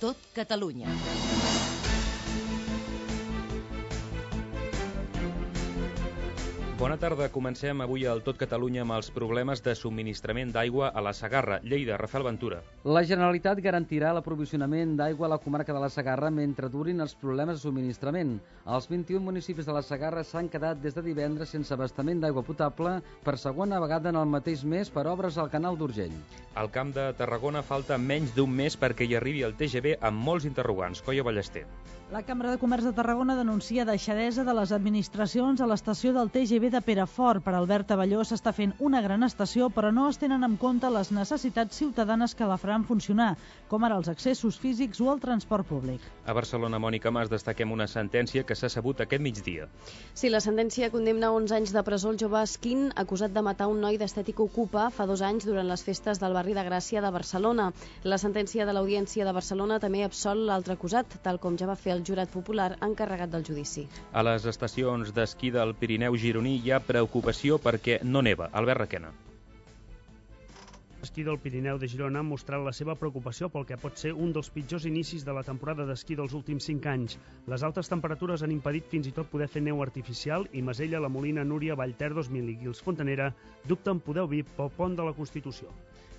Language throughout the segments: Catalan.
Tot Catalunya. Bona tarda. Comencem avui al Tot Catalunya amb els problemes de subministrament d'aigua a la Segarra. Lleida, Rafael Ventura. La Generalitat garantirà l'aprovisionament d'aigua a la comarca de la Segarra mentre durin els problemes de subministrament. Els 21 municipis de la Segarra s'han quedat des de divendres sense abastament d'aigua potable per segona vegada en el mateix mes per obres al canal d'Urgell. Al Camp de Tarragona falta menys d'un mes perquè hi arribi el TGV amb molts interrogants. Coia Ballester. La Cambra de Comerç de Tarragona denuncia deixadesa de les administracions a l'estació del TGV de Perafort. Per Albert Avelló s'està fent una gran estació, però no es tenen en compte les necessitats ciutadanes que la faran funcionar, com ara els accessos físics o el transport públic. A Barcelona, Mònica Mas, destaquem una sentència que s'ha sabut aquest migdia. Sí, la sentència condemna 11 anys de presó el jove Esquin, acusat de matar un noi d'Estètica Ocupa fa 2 anys durant les festes del barri de Gràcia de Barcelona. La sentència de l'Audiència de Barcelona també absol l'altre acusat, tal com ja va fer el jurat popular encarregat del judici. A les estacions d'esquí del Pirineu gironí hi ha preocupació perquè no neva. Albert Requena. L'esquí del Pirineu de Girona ha mostrat la seva preocupació pel que pot ser un dels pitjors inicis de la temporada d'esquí dels últims 5 anys. Les altes temperatures han impedit fins i tot poder fer neu artificial i Masella, La Molina, Núria, Vallter 2000 i Guils Fontanera dubten poder obrir pel pont de la Constitució.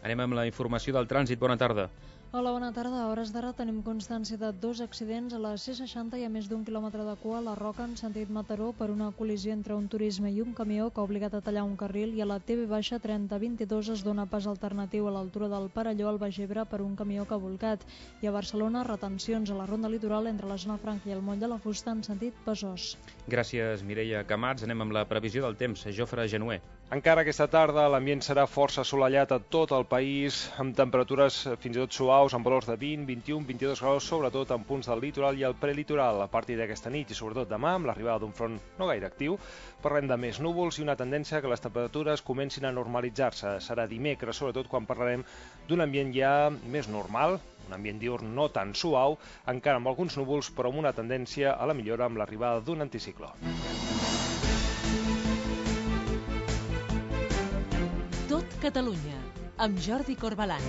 Anem amb la informació del trànsit. Bona tarda. Hola, bona tarda. A hores d'ara tenim constància de 2 accidents. A la C60 hi ha més d'1 quilòmetre de cua a la Roca en sentit Mataró per una col·lisió entre un turisme i un camió que ha obligat a tallar un carril, i a la TV-3022 es dona pas alternatiu a l'altura del Perelló al Baix Ebre per un camió que ha volcat. I a Barcelona, retencions a la ronda litoral entre la zona Franca i el Moll de la Fusta en sentit Besòs. Gràcies, Mireia Camats. Anem amb la previsió del temps. Jofre Genuer. Encara aquesta tarda l'ambient serà força assolellat a tot el país, amb temperatures fins i tot suaus, amb valors de 20, 21, 22 graus, sobretot en punts del litoral i el prelitoral. A partir d'aquesta nit i sobretot demà, amb l'arribada d'un front no gaire actiu, parlem de més núvols i una tendència que les temperatures comencin a normalitzar-se. Serà dimecres, sobretot quan parlarem d'un ambient ja més normal, un ambient diürn no tan suau, encara amb alguns núvols, però amb una tendència a la millora amb l'arribada d'un anticicló. Tot Catalunya, amb Jordi Corbalan.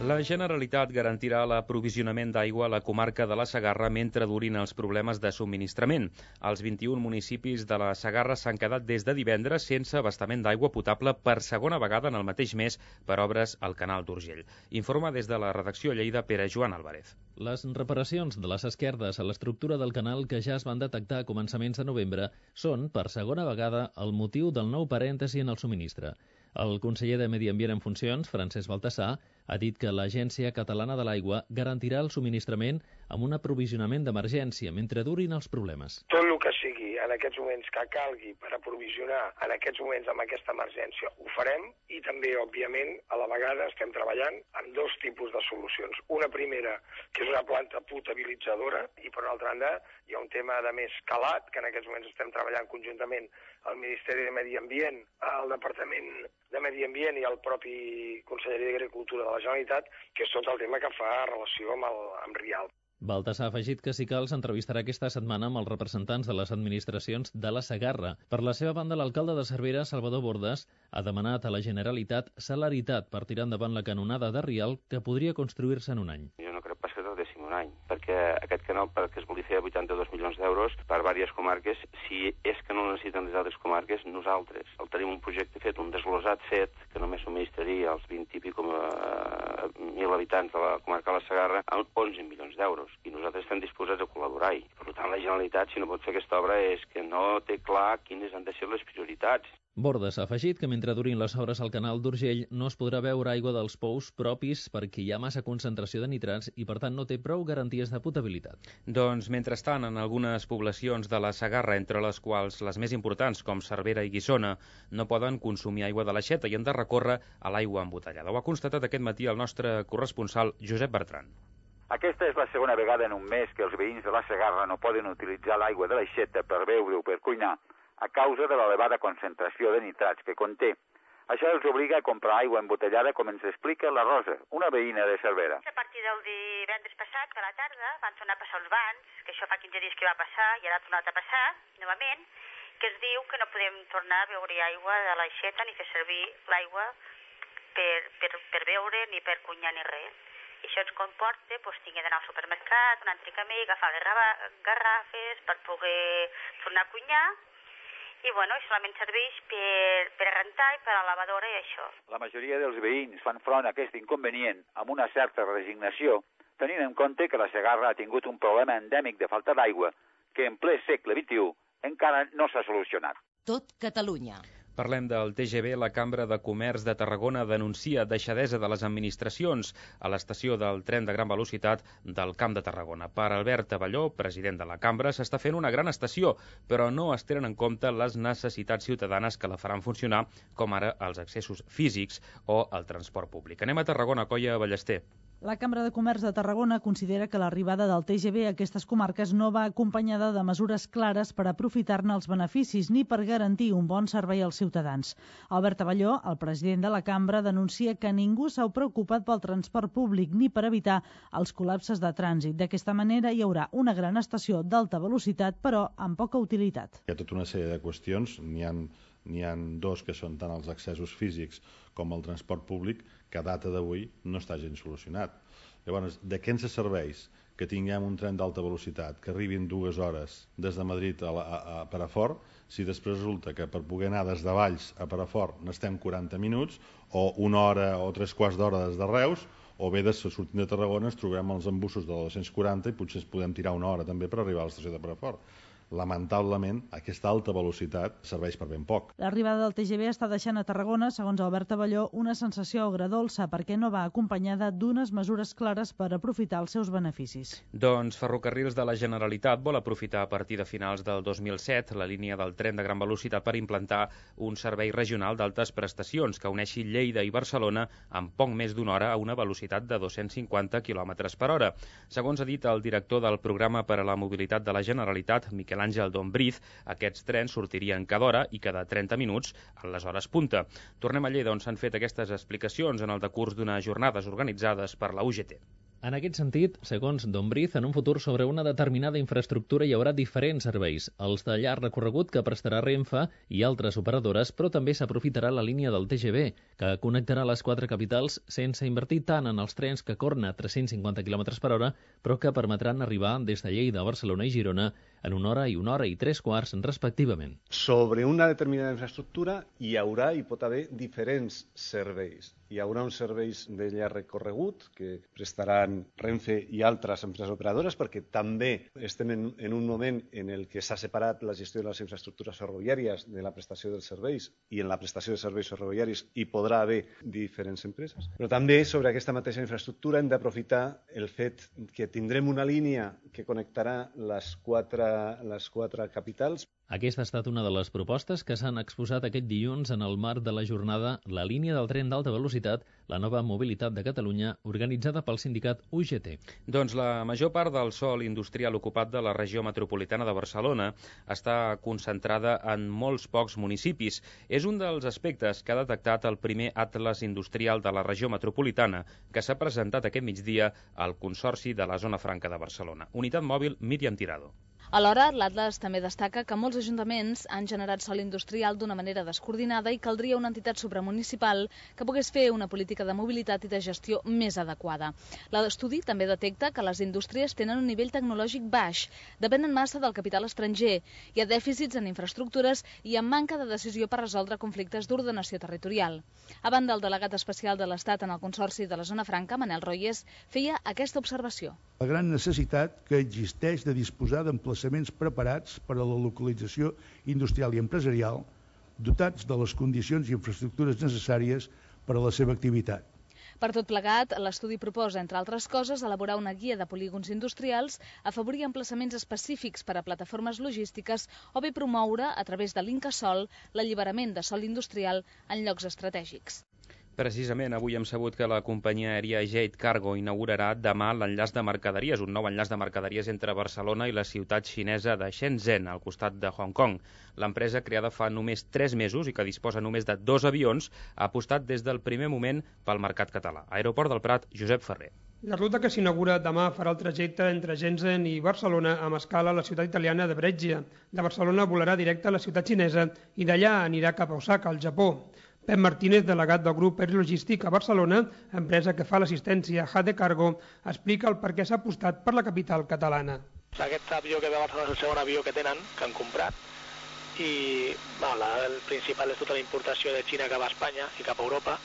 La Generalitat garantirà l'aprovisionament d'aigua a la comarca de la Segarra mentre durin els problemes de subministrament. Els 21 municipis de la Segarra s'han quedat des de divendres sense abastament d'aigua potable per segona vegada en el mateix mes per obres al canal d'Urgell. Informa des de la redacció a Lleida Pere Joan Álvarez. Les reparacions de les esquerdes a l'estructura del canal que ja es van detectar a començaments de novembre són, per segona vegada, el motiu del nou parèntesi en el subministre. El conseller de Medi Ambient en funcions, Francesc Baltasar, ha dit que l'Agència Catalana de l'Aigua garantirà el subministrament amb un aprovisionament d'emergència mentre durin els problemes. Tot el que sigui en aquests moments que calgui per aprovisionar en aquests moments amb aquesta emergència ho farem, i també, òbviament, a la vegada estem treballant amb 2 tipus de solucions. Una primera, que és una planta potabilitzadora, i per una altra banda hi ha un tema de més calat, que en aquests moments estem treballant conjuntament al Ministeri de Medi Ambient, al Departament de Medi Ambient i al propi Conselleria d'Agricultura de la Generalitat, que és tot el tema que fa relació amb Rialp. Baltasar ha afegit que si cal s'entrevistarà aquesta setmana amb els representants de les administracions de la Segarra. Per la seva banda, l'alcalde de Cervera, Salvador Bordes, ha demanat a la Generalitat celeritat per tirar endavant la canonada de Rialp que podria construir-se en un any. Jo no crec pas que tardéssim un any, perquè aquest canal, perquè es volia fer 82 milions d'euros per diverses comarques, si és que no ho necessiten les altres comarques, nosaltres el tenim un projecte fet, un desglosat fet, que només subministraria als 20 i pico mil habitants de la comarca de la Segarra amb 11 milions d'euros. I nosaltres estem disposats a col·laborar-hi. Per tant, la Generalitat, si no pot fer aquesta obra, és que no té clar quines han de ser les prioritats. Bordes ha afegit que mentre durin les obres al canal d'Urgell no es podrà beure aigua dels pous propis perquè hi ha massa concentració de nitrats i, per tant, no té prou garanties de potabilitat. Doncs, mentrestant, en algunes poblacions de la Segarra, entre les quals les més importants, com Cervera i Guissona, no poden consumir aigua de l'aixeta i han de recórrer a l'aigua embotellada. Ho ha constatat aquest matí el nostre corresponsal Josep Bertran. Aquesta és la segona vegada en un mes que els veïns de la Segarra no poden utilitzar l'aigua de l'aixeta per beure o per cuinar a causa de l'elevada concentració de nitrats que conté. Això els obliga a comprar aigua embotellada, com ens explica la Rosa, una veïna de Cervera. A partir del divendres passat, a la tarda, van tornar a passar els bans, que això fa 15 dies que va passar i ara ha tornat a passar, novament, que es diu que no podem tornar a beure aigua de l'aixeta ni fer servir l'aigua beure, ni per cunyar, ni res. I això ens comporta tinguem d'anar al supermercat un altre camí, agafar les garrafes per poder tornar a cunyar, i solament serveix per rentar i per a la lavadora i això. La majoria dels veïns fan front a aquest inconvenient amb una certa resignació, tenint en compte que la Segarra ha tingut un problema endèmic de falta d'aigua que en ple segle XXI encara no s'ha solucionat. Tot Catalunya. Parlem del TGV. La Cambra de Comerç de Tarragona denuncia deixadesa de les administracions a l'estació del tren de gran velocitat del Camp de Tarragona. Per Albert Avelló, president de la Cambra, s'està fent una gran estació, però no es tenen en compte les necessitats ciutadanes que la faran funcionar, com ara els accessos físics o el transport públic. Anem a Tarragona, Colla Ballester. La Cambra de Comerç de Tarragona considera que l'arribada del TGV a aquestes comarques no va acompanyada de mesures clares per aprofitar-ne els beneficis ni per garantir un bon servei als ciutadans. Albert Avelló, el president de la Cambra, denuncia que ningú s'ha preocupat pel transport públic ni per evitar els col·lapses de trànsit. D'aquesta manera hi haurà una gran estació d'alta velocitat, però amb poca utilitat. Hi ha tota una sèrie de qüestions, n'hi ha dos que són tant els accessos físics com el transport públic, que a data d'avui no està gens solucionat. Llavors, de què ens serveix que tinguem un tren d'alta velocitat que arribi en 2 hores des de Madrid a Perafort, si després resulta que per poder anar des de Valls a Perafort n'estem 40 minuts, o 1 hora o 3/4 d'hora des de Reus, o bé sortint de Tarragona ens trobem els embussos de la 240 i potser ens podem tirar 1 hora també per arribar a l'estació de Perafort. Lamentablement, aquesta alta velocitat serveix per ben poc. L'arribada del TGV està deixant a Tarragona, segons Albert Avelló, una sensació agredolça perquè no va acompanyada d'unes mesures clares per aprofitar els seus beneficis. Doncs Ferrocarrils de la Generalitat vol aprofitar a partir de finals del 2007 la línia del tren de gran velocitat per implantar un servei regional d'altes prestacions que uneixi Lleida i Barcelona en poc més d'1 hora a una velocitat de 250 km/h. Segons ha dit el director del Programa per a la Mobilitat de la Generalitat, Miquel Àngel Dombriz, aquests trens sortirien cada hora i cada 30 minuts en les hores punta. Tornem a Lleida, on s'han fet aquestes explicacions en el decurs d'unes jornades organitzades per la UGT. En aquest sentit, segons Dombriz, en un futur sobre una determinada infraestructura hi haurà diferents serveis, els de llarg recorregut que prestarà Renfe i altres operadores, però també s'aprofitarà la línia del TGV, que connectarà les 4 capitals sense invertir tant en els trens que corren a 350 km/h, però que permetran arribar des de Lleida a Barcelona i Girona en 1 hora i 1 hora i 3/4 respectivament. Sobre una determinada infraestructura hi haurà i pot haver diferents serveis. Hi haurà uns serveis de llarg recorregut que prestaran Renfe i altres empreses operadores, perquè també estem en un moment en el que s'ha separat la gestió de les infraestructures ferroviàries de la prestació dels serveis, i en la prestació de serveis ferroviaris hi podrà haver diferents empreses. Però també sobre aquesta mateixa infraestructura hem d'aprofitar el fet que tindrem una línia que connectarà les quatre capitals. Aquesta ha estat una de les propostes que s'han exposat aquest dilluns en el marc de la jornada La línia del tren d'alta velocitat, la nova mobilitat de Catalunya, organitzada pel sindicat UGT. Doncs la major part del sòl industrial ocupat de la regió metropolitana de Barcelona està concentrada en molts pocs municipis. És un dels aspectes que ha detectat el primer Atles Industrial de la regió metropolitana, que s'ha presentat aquest migdia al Consorci de la Zona Franca de Barcelona. Unitat mòbil Míriam Tirado. Alhora, l'Atles també destaca que molts ajuntaments han generat sòl industrial d'una manera descoordinada i caldria una entitat supramunicipal que pogués fer una política de mobilitat i de gestió més adequada. L'estudi també detecta que les indústries tenen un nivell tecnològic baix, depenen massa del capital estranger, hi ha dèficits en infraestructures i en manca de decisió per resoldre conflictes d'ordenació territorial. A banda, el delegat especial de l'Estat en el Consorci de la Zona Franca, Manel Royes, feia aquesta observació. La gran necessitat que existeix de disposar d'emplaçaments preparats per a la localització industrial i empresarial, dotats de les condicions i infraestructures necessàries per a la seva activitat. Per tot plegat, l'estudi proposa, entre altres coses, elaborar una guia de polígons industrials, afavorir emplaçaments específics per a plataformes logístiques o bé promoure, a través de l'Incasòl, l'alliberament de sòl industrial en llocs estratègics. Precisament, avui hem sabut que la companyia aèria Jade Cargo inaugurarà demà l'enllaç de mercaderies, un nou enllaç de mercaderies entre Barcelona i la ciutat xinesa de Shenzhen, al costat de Hong Kong. L'empresa, creada fa només 3 mesos i que disposa només de 2 avions, ha apostat des del primer moment pel mercat català. Aeroport del Prat, Josep Ferrer. La ruta que s'inaugura demà farà el trajecte entre Shenzhen i Barcelona amb escala a la ciutat italiana de Brescia. De Barcelona volarà directe a la ciutat xinesa i d'allà anirà cap a Osaka, al Japó. Pep Martínez, delegat del grup Air Logístic a Barcelona, empresa que fa l'assistència Jade Cargo, explica el per què s'ha apostat per la capital catalana. Aquest avió que ve a Barcelona és el segon avió que tenen, que han comprat, i el principal és tota la importació de Xina cap a Espanya i cap a Europa,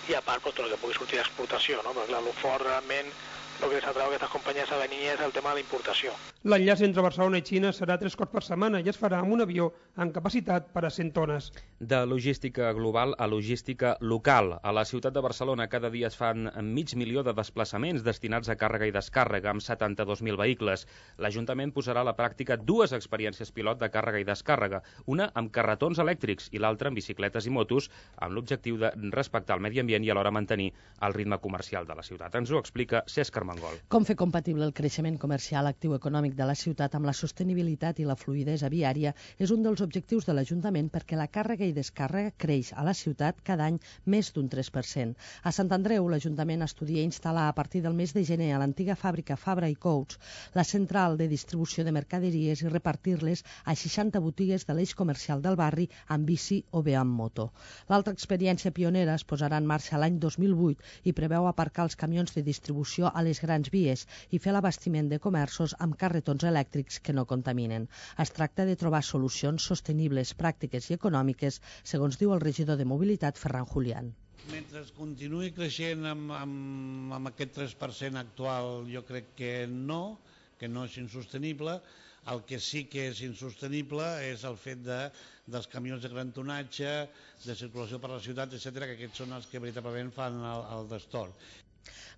i a part tot el que pugui sortir d'exportació, no? Perquè el fort realment el que s'atreu a aquestes companyies a venir és el tema de la importació. L'enllaç entre Barcelona i Xina serà 3 cops per setmana i es farà amb un avió amb capacitat per a 100 tones. De logística global a logística local. A la ciutat de Barcelona cada dia es fan 500.000 de desplaçaments destinats a càrrega i descàrrega amb 72.000 vehicles. L'Ajuntament posarà a la pràctica 2 experiències pilot de càrrega i descàrrega, una amb carretons elèctrics i l'altra amb bicicletes i motos, amb l'objectiu de respectar el medi ambient i alhora mantenir el ritme comercial de la ciutat. Ens ho explica Cesc Armengol. Com fer compatible el creixement comercial actiu econòmic de la ciutat amb la sostenibilitat i la fluïdesa viària és un dels objectius de l'Ajuntament perquè la càrrega i descàrrega creix a la ciutat cada any més d'un 3%. A Sant Andreu, l'Ajuntament estudia instal·lar a partir del mes de gener a l'antiga fàbrica Fabra i Coats la central de distribució de mercaderies i repartir-les a 60 botigues de l'eix comercial del barri amb bici o bé amb moto. L'altra experiència pionera es posarà en marxa l'any 2008 i preveu aparcar els camions de distribució a les grans vies i fer l'abastiment de comerços amb carretons elèctrics que no contaminen. Es tracta de trobar solucions sostenibles, pràctiques i econòmiques, segons diu el regidor de Mobilitat, Ferran Julián. Mentre continuï creixent amb aquest 3% actual, jo crec que no és insostenible. El que sí que és insostenible és el fet dels camions de gran tonatge, de circulació per la ciutat, etc., que aquests són els que veritablement fan el destorb.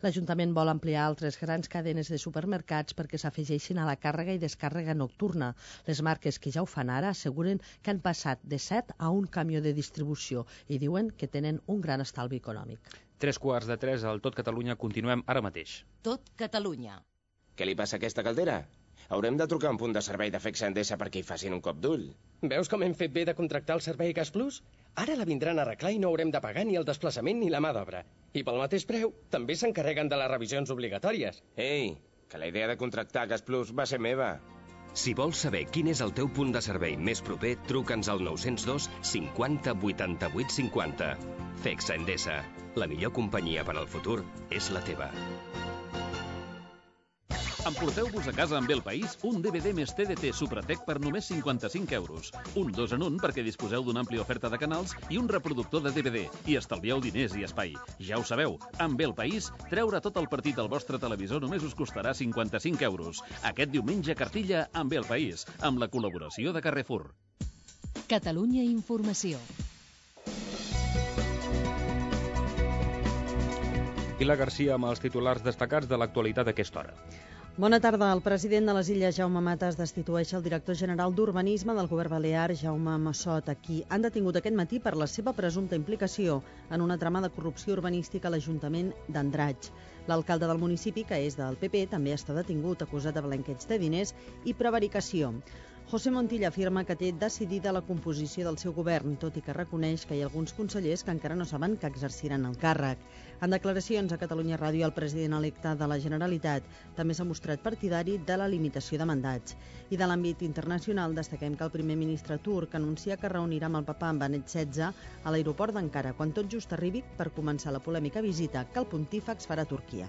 L'Ajuntament vol ampliar altres grans cadenes de supermercats perquè s'afegeixin a la càrrega i descàrrega nocturna. Les marques que ja ho fan ara asseguren que han passat de 7 a un camió de distribució i diuen que tenen un gran estalvi econòmic. 3:45 al Tot Catalunya. Continuem ara mateix. Tot Catalunya. Què li passa a aquesta caldera? Haurem de trucar a un punt de servei de Fexa Endesa perquè hi facin un cop d'ull. Veus com hem fet bé de contractar el servei Gas Plus? Ara la vindran a arreglar i no haurem de pagar ni el desplaçament ni la mà d'obra. I pel mateix preu, també s'encarreguen de les revisions obligatòries. Ei, que la idea de contractar Gas Plus va ser meva. Si vols saber quin és el teu punt de servei més proper, truca'ns al 902 50 88 50. Fexa Endesa. La millor companyia per al futur és la teva. Emporteu-vos a casa amb El País un DVD més TDT Supratec per només 55 euros. Un 2 en 1 perquè disposeu d'una àmplia oferta de canals i un reproductor de DVD. I estalvieu diners i espai. Ja ho sabeu, amb El País, treure tot el partit al vostre televisor només us costarà 55 euros. Aquest diumenge cartilla amb El País, amb la col·laboració de Carrefour. Catalunya Informació. Pilar Garcia amb els titulars destacats de l'actualitat a aquesta hora. Bona tarda. El president de les Illes, Jaume Matas, destitueix el director general d'Urbanisme del govern balear, Jaume Massot, a qui han detingut aquest matí per la seva presumpta implicació en una trama de corrupció urbanística a l'Ajuntament d'Andratx. L'alcalde del municipi, que és del PP, també està detingut, acusat de blanqueig de diners i prevaricació. José Montilla afirma que té decidida la composició del seu govern, tot i que reconeix que hi ha alguns consellers que encara no saben que exerciran el càrrec. En declaracions a Catalunya Ràdio, el president electe de la Generalitat també s'ha mostrat partidari de la limitació de mandats. I de l'àmbit internacional destaquem que el primer ministre turc anuncia que reunirà amb el papa en Benet XVI a l'aeroport d'Ankara, quan tot just arribi per començar la polèmica visita que el pontífex farà a Turquia.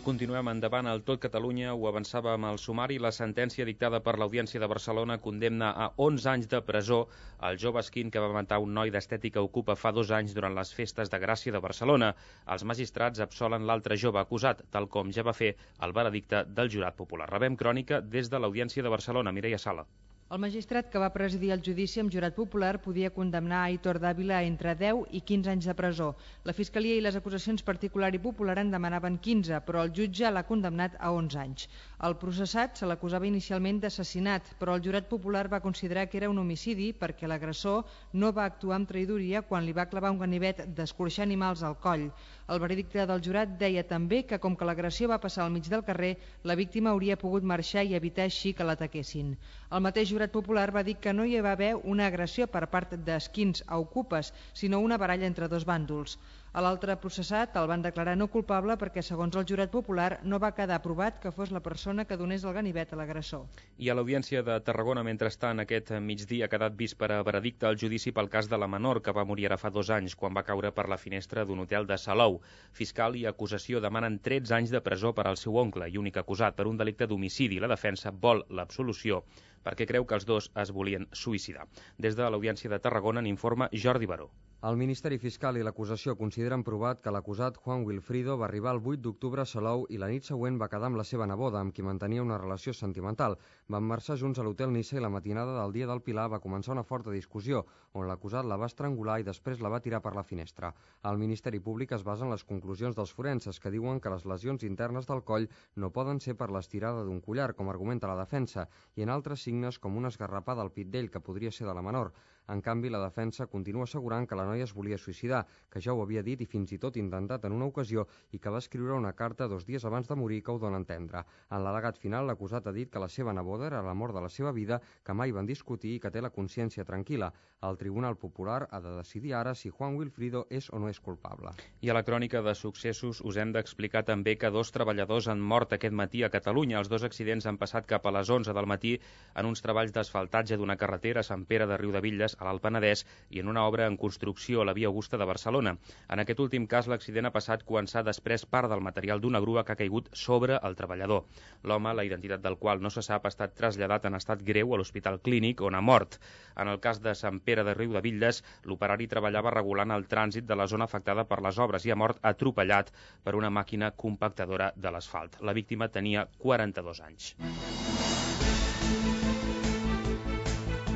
Continuem endavant al Tot Catalunya. Ho avançàvem al sumari. La sentència dictada per l'Audiència de Barcelona condemna a 11 anys de presó el jove esquin que va matar un noi d'Estètica Ocupa fa 2 anys durant les festes de Gràcia de Barcelona. Els magistrats absolen l'altre jove acusat, tal com ja va fer el veredicte del jurat popular. Rebem crònica des de l'Audiència de Barcelona. Mireia Sala. El magistrat que va presidir el judici amb jurat popular podia condemnar Aitor Dávila a entre 10 i 15 anys de presó. La Fiscalia i les acusacions particular i popular en demanaven 15, però el jutge l'ha condemnat a 11 anys. El processat se l'acusava inicialment d'assassinat, però el jurat popular va considerar que era un homicidi perquè l'agressor no va actuar amb traïdoria quan li va clavar un ganivet d'escorxar animals al coll. El veredicte del jurat deia també que com que l'agressió va passar al mig del carrer, la víctima hauria pogut marxar i evitar així que l'ataquessin. El mateix jurat Jurat Popular va dir que no hi va haver una agressió per part d'esquins a ocupes, sinó una baralla entre dos bàndols. A l'altre processat el van declarar no culpable perquè, segons el Jurat Popular, no va quedar provat que fos la persona que donés el ganivet a l'agressor. I a l'Audiència de Tarragona, mentrestant, aquest migdia ha quedat vist per a veredicte el judici pel cas de la menor que va morir ara fa 2 anys quan va caure per la finestra d'un hotel de Salou. Fiscal i acusació demanen 13 anys de presó per al seu oncle i únic acusat per un delicte d'homicidi. La defensa vol l'absolució perquè creu que els dos es volien suïcidar. Des de l'Audiència de Tarragona n'informa Jordi Baró. El Ministeri Fiscal i l'acusació consideren provat que l'acusat Juan Wilfrido va arribar el 8 d'octubre a Salou i la nit següent va quedar amb la seva neboda, amb qui mantenia una relació sentimental. Van marxar junts a l'hotel Niça i la matinada del dia del Pilar va començar una forta discussió, on l'acusat la va estrangular i després la va tirar per la finestra. El Ministeri Públic es basa en les conclusions dels forenses, que diuen que les lesions internes del coll no poden ser per l'estirada d'un collar, com argumenta la defensa, i en altres signes com una esgarrapada al pit d'ell, que podria ser de la menor. En canvi, la defensa continua assegurant que la noia es volia suïcidar, que ja ho havia dit i fins i tot intentat en una ocasió i que va escriure una carta 2 dies abans de morir que ho dona a entendre. En l'al·legat final, l'acusat ha dit que la seva neboda era l'amor de la seva vida, que mai van discutir i que té la consciència tranquil·la. El Tribunal Popular ha de decidir ara si Juan Wilfrido és o no és culpable. I a la crònica de successos us hem d'explicar també que 2 treballadors han mort aquest matí a Catalunya. Els 2 accidents han passat cap a les 11 del matí en uns treballs d'asfaltatge d'una carretera a Sant Pere de Riudebitlles, a l'Alt Penedès, i en una obra en construcció a la Via Augusta de Barcelona. En aquest últim cas, l'accident ha passat quan s'ha desprès part del material d'una grua que ha caigut sobre el treballador. L'home, la identitat del qual no se sap, ha estat traslladat en estat greu a l'Hospital Clínic, on ha mort. En el cas de Sant Pere de Riudebitlles, l'operari treballava regulant el trànsit de la zona afectada per les obres i ha mort atropellat per una màquina compactadora de l'asfalt. La víctima tenia 42 anys.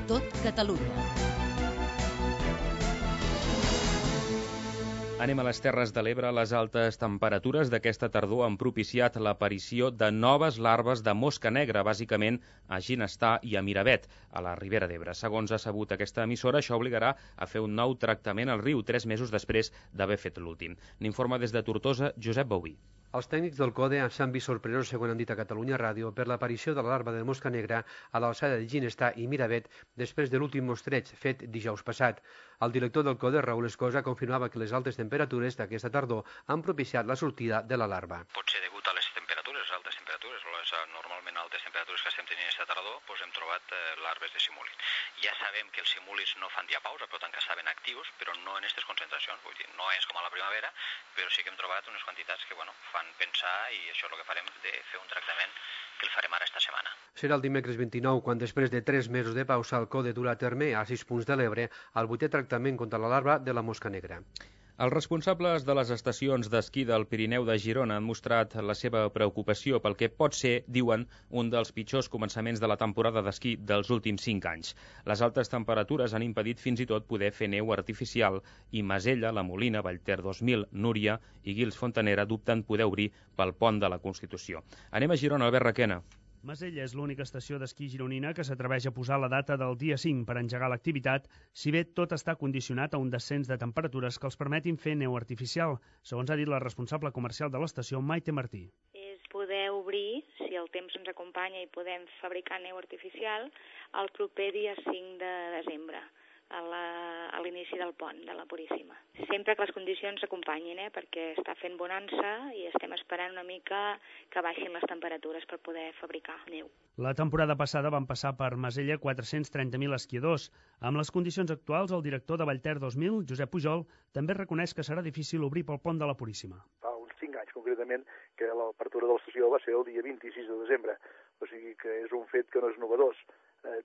Tot Catalunya. Anem a les Terres de l'Ebre. Les altes temperatures d'aquesta tardor han propiciat l'aparició de noves larves de mosca negra, bàsicament a Ginestar i a Miravet, a la Ribera d'Ebre. Segons ha sabut aquesta emissora, això obligarà a fer un nou tractament al riu, 3 mesos després d'haver fet l'últim. N'informa des de Tortosa, Josep Bauví. Els tècnics del CODE s'han vist sorpresos, segons han dit a Catalunya Ràdio, per l'aparició de la larva de mosca negra a l'alçada de Ginestar i Miravet després de l'últim mostreig fet dijous passat. El director del CODE, Raül Escosa, confirmava que les altes temperatures d'aquesta tardor han propiciat la sortida de la larva. Pot ser degut a les temperatures, altes temperatures, o les normalment altes temperatures que estem tenint aquesta tardor, doncs hem trobat larves de simúlid. Ja sabem que els simúlids no fan diapausa, per tant que estaven actius, però no en aquestes concentracions, vull dir, no és com a la primavera, però sí que hem trobat unes quantitats que, fan pensar, i això és el que farem, de fer un tractament que el farem ara esta setmana. Serà el dimecres 29, quan després de 3 mesos de pausa el CODE durà a terme a 6 punts de l'Ebre el 8è tractament contra la larva de la mosca negra. Els responsables de les estacions d'esquí del Pirineu de Girona han mostrat la seva preocupació pel que pot ser, diuen, un dels pitjors començaments de la temporada d'esquí dels últims 5 anys. Les altes temperatures han impedit fins i tot poder fer neu artificial i Masella, La Molina, Vallter 2000, Núria i Guils Fontanera dubten poder obrir pel pont de la Constitució. Anem a Girona, Albert Requena. Masella és l'única estació d'esquí gironina que s'atreveix a posar la data del dia 5 per engegar l'activitat, si bé tot està condicionat a un descens de temperatures que els permetin fer neu artificial, segons ha dit la responsable comercial de l'estació, Maite Martí. És poder obrir, si el temps ens acompanya i podem fabricar neu artificial, el proper dia 5 de desembre. A l'inici del pont de la Puríssima. Sempre que les condicions s'acompanyin, perquè està fent bonança i estem esperant una mica que baixin les temperatures per poder fabricar neu. La temporada passada van passar per Masella 430.000 esquiadors. Amb les condicions actuals, el director de Vallter 2000, Josep Pujol, també reconeix que serà difícil obrir pel pont de la Puríssima. Fa uns 5 anys, concretament, que l'apertura de l'estació va ser el dia 26 de desembre. O sigui que és un fet que no és novedós.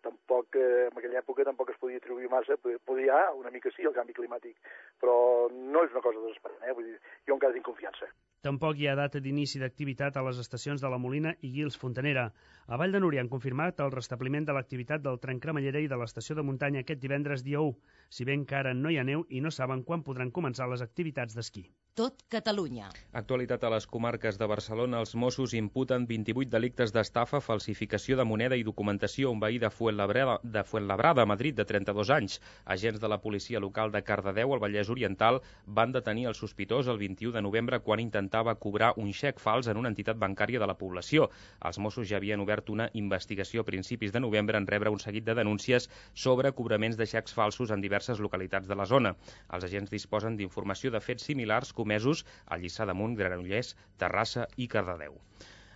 Tampoc, en aquella època tampoc es podia atribuir massa, podia una mica sí el canvi climàtic, però no és una cosa desesperant, vull dir, jo encara tinc confiança. Tampoc hi ha data d'inici d'activitat a les estacions de La Molina i Guils Fontanera. A Vall de Núria han confirmat el restabliment de l'activitat del tren cremallera i de l'estació de muntanya aquest divendres dia 1, si bé encara no hi ha neu i no saben quan podran començar les activitats d'esquí. tot Catalunya. Actualitat a les comarques de Barcelona. Els Mossos imputen 28 delictes d'estafa, falsificació de moneda i documentació a un veí de Fuenlabrada, Madrid, de 32 anys. Agents de la policia local de Cardedeu, al Vallès Oriental, van detenir el sospitós el 21 de novembre quan intentava cobrar un xec fals en una entitat bancària de la població. Els Mossos ja havien obert una investigació a principis de novembre en rebre un seguit de denúncies sobre cobraments de xecs falsos en diverses localitats de la zona. Els agents disposen d'informació de fets similars comesos a Lliçà d'Amunt, Granollers, Terrassa i Cardedeu.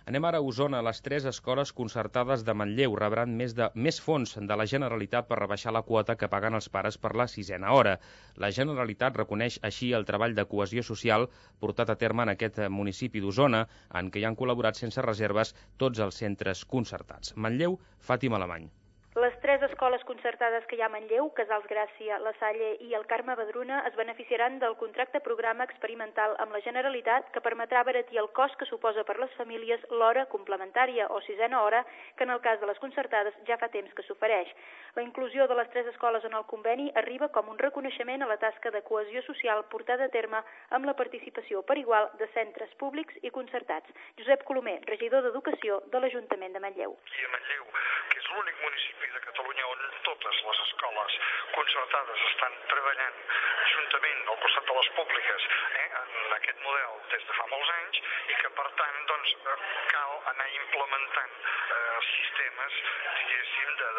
Anem ara a Osona. Les 3 escoles concertades de Manlleu rebran més fons de la Generalitat per rebaixar la quota que paguen els pares per la 6a hora. La Generalitat reconeix així el treball de cohesió social portat a terme en aquest municipi d'Osona, en què hi han col·laborat sense reserves tots els centres concertats. Manlleu, Fàtima Alemany. Les 3 escoles concertades que hi ha a Manlleu, Casals Gràcia, La Salle i el Carme Badruna, es beneficiaran del contracte programa experimental amb la Generalitat que permetrà abaratir el cost que suposa per les famílies l'hora complementària o 6a hora, que en el cas de les concertades ja fa temps que s'ofereix. La inclusió de les 3 escoles en el conveni arriba com un reconeixement a la tasca de cohesió social portada a terme amb la participació per igual de centres públics i concertats. Josep Colomer, regidor d'Educació de l'Ajuntament de Manlleu. I a Manlleu, que és l'únic municipi de Catalunya on totes les escoles concertades estan treballant juntament al costat de les públiques en aquest model des de fa molts anys i que per tant cal anar implementant sistemes, diguéssim, de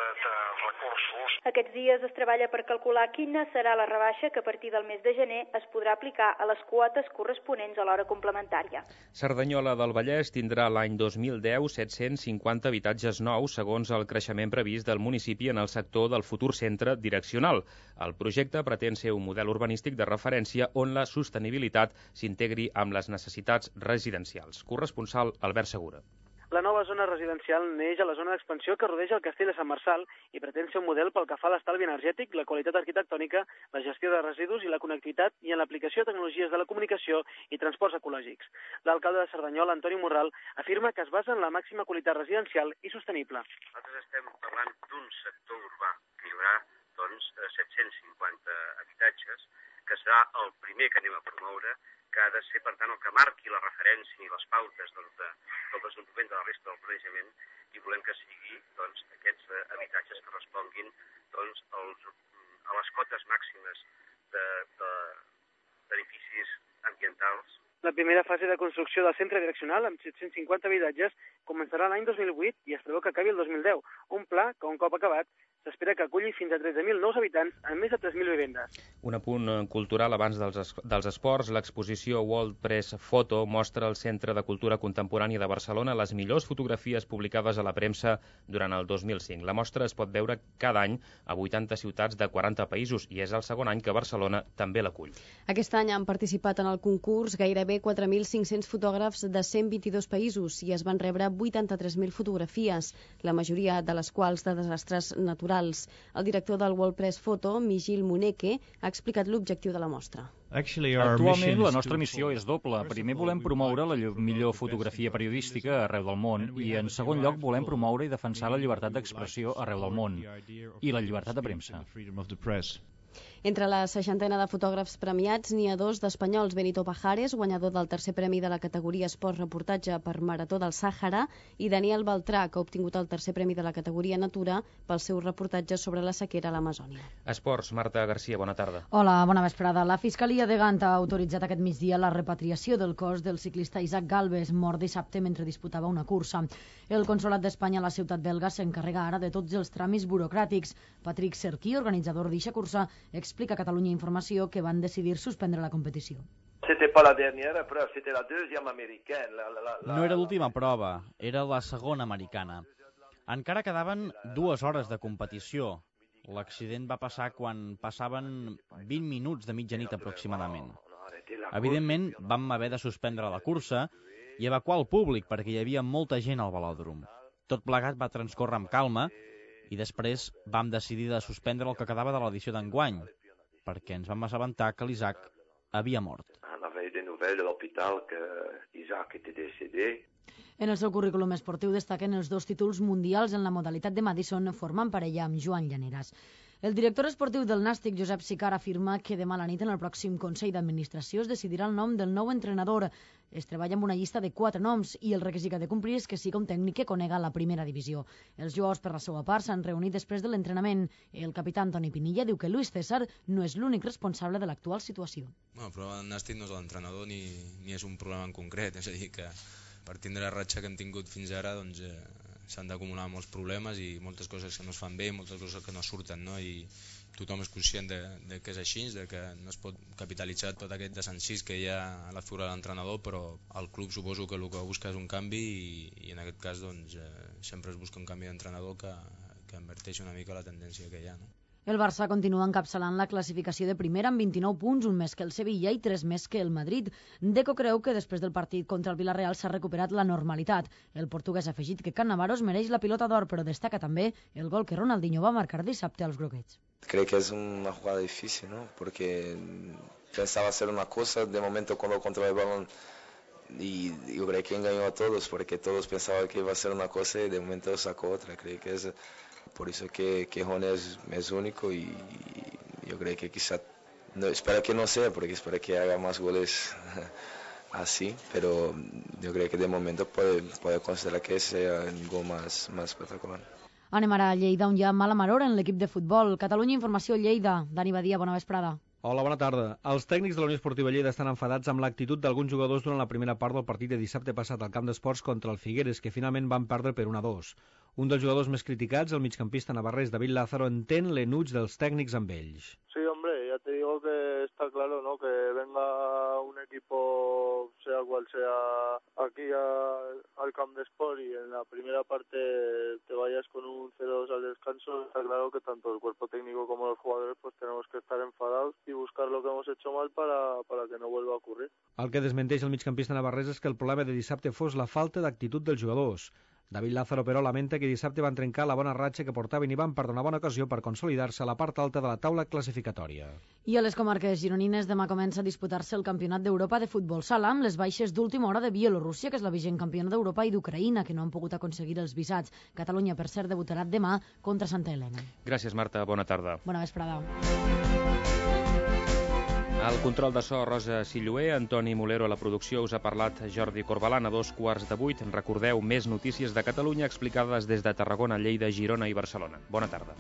recursos. Aquests dies es treballa per calcular quina serà la rebaixa que a partir del mes de gener es podrà aplicar a les quotes corresponents a l'hora complementària. Cerdanyola del Vallès tindrà l'any 2010 750 habitatges nous segons el creixement previst del municipi en el sector del futur centre direccional. El projecte pretén ser un model urbanístic de referència on la sostenibilitat s'integri amb les necessitats residencials. Corresponsal Albert Segura. La nova zona residencial neix a la zona d'expansió que rodeja el castell de Sant Marçal i pretén ser un model pel que fa a l'estalvi energètic, la qualitat arquitectònica, la gestió de residus i la connectivitat i en l'aplicació de tecnologies de la comunicació i transports ecològics. L'alcalde de Cerdanyola, Antoni Morral, afirma que es basa en la màxima qualitat residencial i sostenible. Nosaltres estem parlant d'un sector urbà que hi haurà 750 habitatges, que serà el primer que anem a promoure, que ha de ser, per tant, el que marqui la referència i les pautes del desenvolupament de la resta del planejament i volem que sigui aquests habitatges que responguin a les cotes màximes d'edificis ambientals. La primera fase de construcció del centre direccional, amb 750 habitatges, començarà l'any 2008 i es preveu que acabi el 2010. Un pla que, un cop acabat, s'espera que aculli fins a 13.000 nous habitants en més de 3.000 vivendes. Un apunt cultural abans dels esports. L'exposició World Press Photo mostra al Centre de Cultura Contemporània de Barcelona les millors fotografies publicades a la premsa durant el 2005. La mostra es pot veure cada any a 80 ciutats de 40 països i és el segon any que Barcelona també l'acull. Aquest any han participat en el concurs gairebé 4.500 fotògrafs de 122 països i es van rebre 83.000 fotografies, la majoria de les quals de desastres naturals. El director del World Press Photo, Mijil Muneke, ha explicat l'objectiu de la mostra. Actualment la nostra missió és doble. Primer volem promoure la millor fotografia periodística arreu del món i en segon lloc volem promoure i defensar la llibertat d'expressió arreu del món i la llibertat de premsa. Entre la 60ena de fotògrafs premiats n'hi ha 2 d'espanyols, Benito Pajares, guanyador del tercer premi de la categoria Esport Reportatge per Marató del Sàhara, i Daniel Beltrà, que ha obtingut el tercer premi de la categoria Natura pel seu reportatge sobre la sequera a l'Amazònia. Esports, Marta Garcia, bona tarda. Hola, bona vesprada. La Fiscalia de Gant ha autoritzat aquest migdia la repatriació del cos del ciclista Isaac Galvez, mort dissabte mentre disputava una cursa. El Consolat d'Espanya a la ciutat belga s'encarrega ara de tots els tràmits burocràtics. Patrick Serquí, organitzador d'eixa cursa, explica a Catalunya Informació que van decidir suspendre la competició. No era l'última prova, era la segona americana. Encara quedaven 2 hores de competició. L'accident va passar quan passaven 20 minuts de mitjanit aproximadament. Evidentment, vam haver de suspendre la cursa i evacuar el públic perquè hi havia molta gent al velòdrom. Tot plegat va transcórrer amb calma i després vam decidir de suspendre el que quedava de l'edició d'enguany, perquè ens vam assabentar que l'Isaac havia mort. En el seu currículum esportiu destaquen els 2 títols mundials en la modalitat de Madison formant parella amb Joan Llaneras. El director esportiu del Nàstic, Josep Sicart, afirma que demà a la nit en el pròxim Consell d'Administració es decidirà el nom del nou entrenador. Es treballa amb una llista de 4 noms i el requisit que ha de complir és que sigui un tècnic que conega la primera divisió. Els jugadors, per la seva part, s'han reunit després de l'entrenament. El capità Antoni Pinilla diu que Luis César no és l'únic responsable de l'actual situació. El problema del Nàstic no és l'entrenador ni és un problema en concret, és a dir, que per tindre la ratxa que hem tingut fins ara doncs, s'han d'acumular molts problemes i moltes coses que no es fan bé, moltes coses que no surten, no? I tothom és conscient de que és així, de que no es pot capitalitzar tot aquest desencís que hi ha a la figura de l'entrenador, però el club suposo que el que busca és un canvi i en aquest cas doncs, sempre es busca un canvi d'entrenador que inverteixi una mica la tendència que hi ha, no? El Barça continua encapçalant la classificació de primera amb 29 punts, un més que el Sevilla i 3 més que el Madrid. Deco creu que després del partit contra el Villarreal s'ha recuperat la normalitat. El portuguès ha afegit que Cannavaro es mereix la pilota d'or, però destaca també el gol que Ronaldinho va marcar dissabte als groguets. Creo que es una jugada difícil, ¿no? Porque pensaba hacer una cosa, de momento cuando controla el balón y yo creo que engañó a todos, porque todos pensaban que iba a ser una cosa y de momento sacó otra. Creo que es por eso que Rony es único y yo creo que quizá, no, espero que no sea, porque espero que haga más goles así, pero yo creo que de momento puede considerar que sea el gol más espectacular. Anem ara a Lleida, on hi ha mala maror en l'equip de futbol. Catalunya Informació, Lleida. Dani Badia, bona vesprada. Hola, bona tarda. Els tècnics de la Unió Esportiva Lleida estan enfadats amb l'actitud d'alguns jugadors durant la primera part del partit de dissabte passat al camp d'esports contra el Figueres, que finalment van perdre per 1-2. Un dels jugadors més criticats, el migcampista navarrés David Lázaro, entén l'enuig dels tècnics amb ells. Sí, hombre, ya te digo que está claro, ¿no? Que venga un equipo, sea cual sea, aquí al camp de sport y en la primera parte te vayas con un 0-2 al descanso, está claro que tanto el cuerpo técnico como los jugadores pues tenemos que estar enfadados y buscar lo que hemos hecho mal para que no vuelva a ocurrir. El que desmenteix el migcampista navarrés és que el problema de dissabte fos la falta d'actitud dels jugadors. David Lázaro, però, lamenta que dissabte van trencar la bona ratxa que portaven i van perdre una bona ocasió per consolidar-se a la part alta de la taula classificatòria. I a les comarques gironines demà comença a disputar-se el Campionat d'Europa de futbol sala amb les baixes d'última hora de Bielorússia, que és la vigent campiona d'Europa, i d'Ucraïna, que no han pogut aconseguir els visats. Catalunya, per cert, debutarà demà contra Santa Helena. Gràcies, Marta. Bona tarda. Bona vesprada. Al control de so, Rosa Silloé, Antoni Molero a la producció, us ha parlat Jordi Corbalan a 7:15. Recordeu més notícies de Catalunya explicades des de Tarragona, Lleida, Girona i Barcelona. Bona tarda.